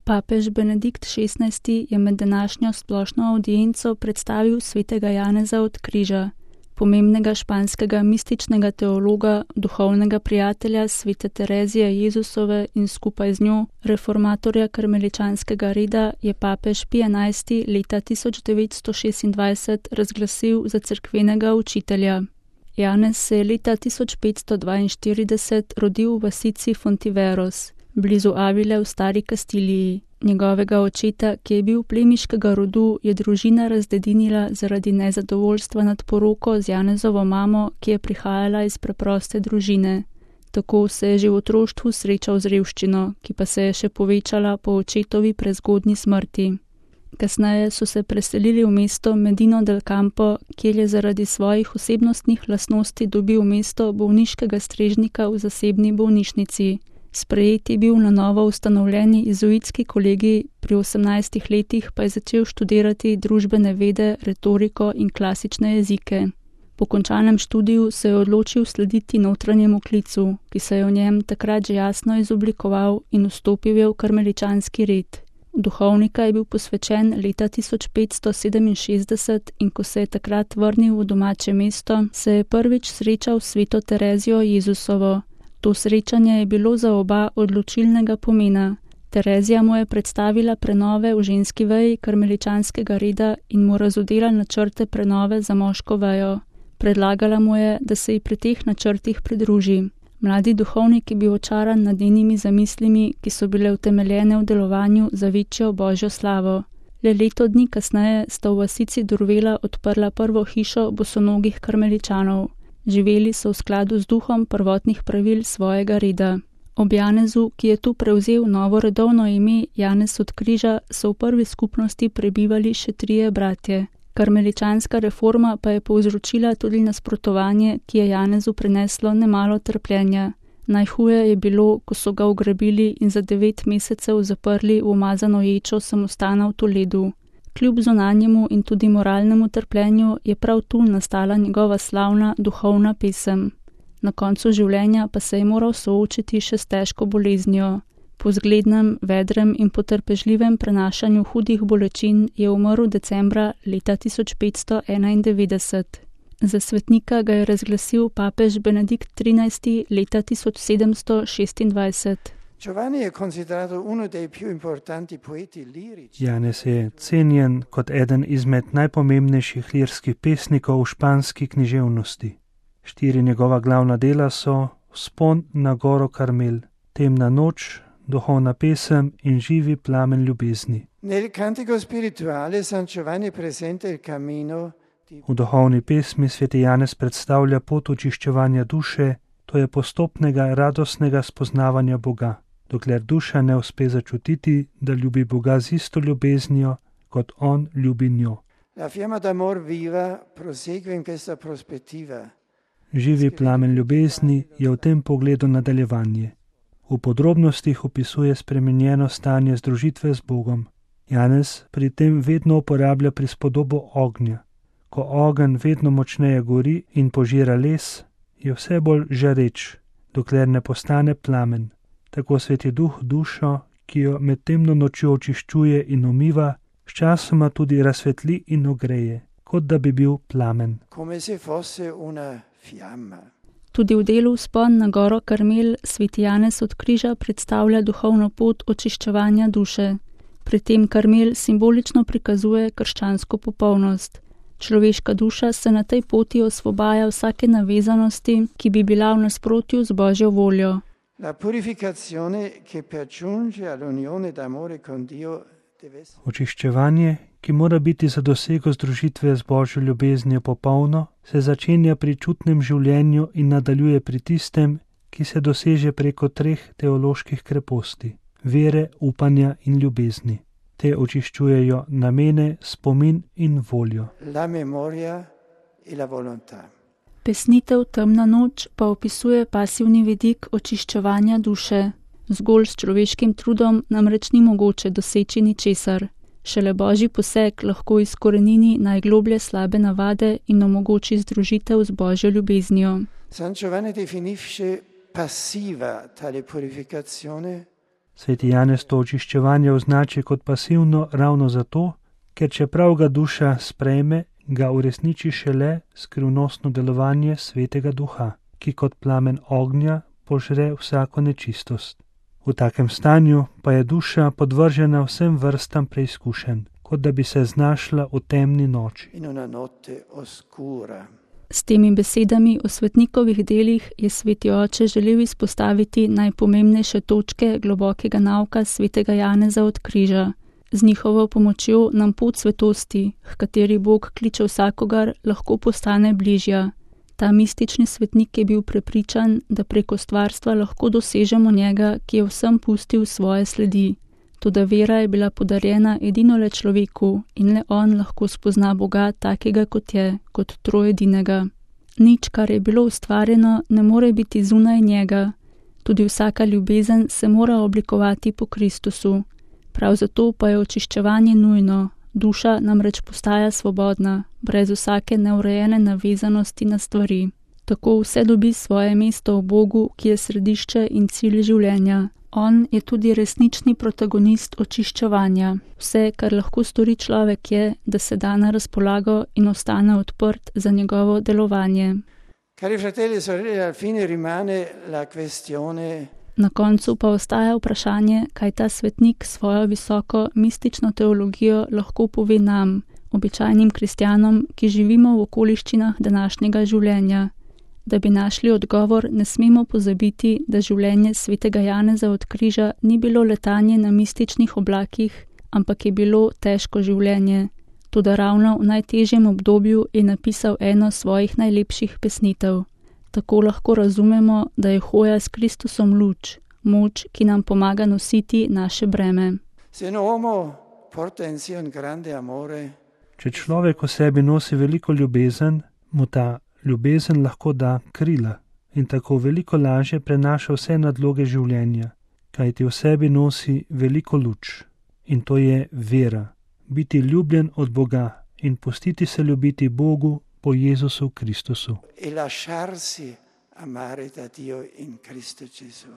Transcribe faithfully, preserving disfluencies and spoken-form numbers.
Papež Benedikt šestnajsti je med današnjo splošno avdienco predstavil svetega Janeza od Križa, pomembnega španskega mističnega teologa, duhovnega prijatelja svete Terezije Jezusove in skupaj z njo reformatorja karmeličanskega reda, je papež Pij enajsti leta tisoč devetsto šestindvajset razglasil za cerkvenega učitelja. Janez se je leta tisoč petsto dvainštirideset rodil v vasici Fontiveros, blizu Avile v Stari Kastiliji. Njegovega očeta, ki je bil plemiškega rodu, je družina razdedinila zaradi nezadovoljstva nad poroko z Janezovo mamo, ki je prihajala iz preproste družine. Tako se je že v otroštvu srečal z revščino, ki pa se je še povečala po očetovi prezgodnji smrti. Kasneje so se preselili v mesto Medino del Campo, kjer je zaradi svojih osebnostnih lastnosti dobil mesto bolniškega strežnika v zasebni bolnišnici. Sprejet je bil na novo ustanovljeni jezuitski kolegij, pri osemnajstih letih pa je začel študirati družbene vede, retoriko in klasične jezike. Po končanem študiju se je odločil slediti notranjemu klicu, ki se je v njem takrat že jasno izoblikoval, in vstopil je v karmeličanski red. Duhovnika je bil posvečen leta tisoč petsto sedeminšestdeset in ko se je takrat vrnil v domače mesto, se je prvič srečal s sveto Terezijo Jezusovo. To srečanje je bilo za oba odločilnega pomena. Terezija mu je predstavila prenove v ženski veji karmeličanskega reda in mu razodela načrte prenove za moško vejo. Predlagala mu je, da se ji pri teh načrtih pridruži. Mladi duhovnik je bil očaran nad njenimi zamislimi, ki so bile utemeljene v delovanju za večjo božjo slavo. Le leto dni kasneje sta v vasici Durvela odprla prvo hišo bosonogih karmeličanov. Živeli so v skladu z duhom prvotnih pravil svojega reda. Ob Janezu, ki je tu prevzel novo redovno ime Janez od Križa, so v prvi skupnosti prebivali še trije bratje. Karmeličanska reforma pa je povzročila tudi nasprotovanje, ki je Janezu prineslo nemalo trpljenja. Najhuje je bilo, ko so ga ugrabili in za devet mesecev zaprli v umazano ječo samostana v Toledu. Kljub zunanjemu in tudi moralnemu trpljenju je prav tu nastala njegova slavna duhovna pesem. Na koncu življenja pa se je moral soočiti še s težko boleznijo. Po zglednem, vedrem in potrpežljivem prenašanju hudih bolečin je umrl decembra leta tisoč petsto enaindevetdeset. Za svetnika ga je razglasil papež Benedikt trinajsti leta tisoč sedemsto šestindvajset. Janez je cenjen kot eden izmed najpomembnejših lirskih pesnikov v španski književnosti. Štiri njegova glavna dela so Vzpon na goro Karmel, Temna noč, Duhovna pesem in Živi plamen ljubezni. V duhovni pesmi sveti Janez predstavlja pot očiščevanja duše, to je postopnega radostnega spoznavanja Boga, dokler duša ne uspe začutiti, da ljubi Boga z isto ljubeznijo, kot On ljubi njo. Živi plamen ljubezni je v tem pogledu nadaljevanje. V podrobnostih opisuje spremenjeno stanje združitve z Bogom. Janez pri tem vedno uporablja prispodobo ognja. Ko ogenj vedno močneje gori in požira les, je vse bolj žareč, dokler ne postane plamen. Tako sveti duh dušo, ki jo med temno nočjo očiščuje in umiva, sčasoma tudi razsvetli in ogreje, kot da bi bil plamen. Tudi v delu Vzpon na goro Karmel sveti Janez od Križa predstavlja duhovno pot očiščevanja duše. Pri tem Karmel simbolično prikazuje krščansko popolnost. Človeška duša se na tej poti osvobaja vsake navezanosti, ki bi bila v nasprotju z Božjo voljo. Očiščevanje, ki mora biti za dosego združitve z Božjo ljubeznijo popolno, se začenja pri čutnem življenju in nadaljuje pri tistem, ki se doseže preko treh teoloških kreposti: vere, upanja in ljubezni. Te očiščujejo namene, spomin in voljo. Pesnitev Temna noč pa opisuje pasivni vidik očiščevanja duše. Zgolj s človeškim trudom namreč ni mogoče doseči ničesar. Šele Božji poseg lahko izkorenini najgloblje slabe navade in omogoči združitev z Božjo ljubeznijo. Sveti Janez to očiščevanje označi kot pasivno ravno zato, ker čeprav ga duša sprejme, ga uresniči šele skrivnostno delovanje Svetega Duha, ki kot plamen ognja požre vsako nečistost. V takem stanju pa je duša podvržena vsem vrstam preizkušenj, kot da bi se znašla v temni noči. S temi besedami o svetnikovih delih je sveti oče želel izpostaviti najpomembnejše točke globokega nauka svetega Janeza od križa. Z njihovo pomočjo nam pot svetosti, h kateri Bog kliče vsakogar, lahko postane bližja. Ta mistični svetnik je bil prepričan, da preko stvarstva lahko dosežemo njega, ki je vsem pustil svoje sledi. Toda vera je bila podarjena edino le človeku in le on lahko spozna Boga takega, kot je, kot trojedinega. Nič, kar je bilo ustvarjeno, ne more biti zunaj njega. Tudi vsaka ljubezen se mora oblikovati po Kristusu. Prav zato pa je očiščevanje nujno. Duša namreč postaja svobodna, brez vsake neurejene navezanosti na stvari. Tako vse dobi svoje mesto v Bogu, ki je središče in cilj življenja. On je tudi resnični protagonist očiščevanja. Vse, kar lahko stori človek, je, da se da na razpolago in ostane odprt za njegovo delovanje. Cari fratelli e sorelle, al fine rimane la questione. Na koncu pa ostaja vprašanje, kaj ta svetnik s svojo visoko mistično teologijo lahko pove nam, običajnim kristjanom, ki živimo v okoliščinah današnjega življenja. Da bi našli odgovor, ne smemo pozabiti, da življenje svetega Janeza od križa ni bilo letanje na mističnih oblakih, ampak je bilo težko življenje. Toda ravno v najtežjem obdobju je napisal eno svojih najlepših pesnitev. Tako lahko razumemo, da je hoja s Kristusom luč, moč, ki nam pomaga nositi naše breme. Če človek v sebi nosi veliko ljubezen, mu ta ljubezen lahko da krila in tako veliko lažje prenaša vse nadloge življenja, kajti v sebi nosi veliko luč. In to je vera, biti ljubljen od Boga in pustiti se ljubiti Bogu po Jezusu Kristusu. E lasciarsi amare da Dio in Cristo Gesù.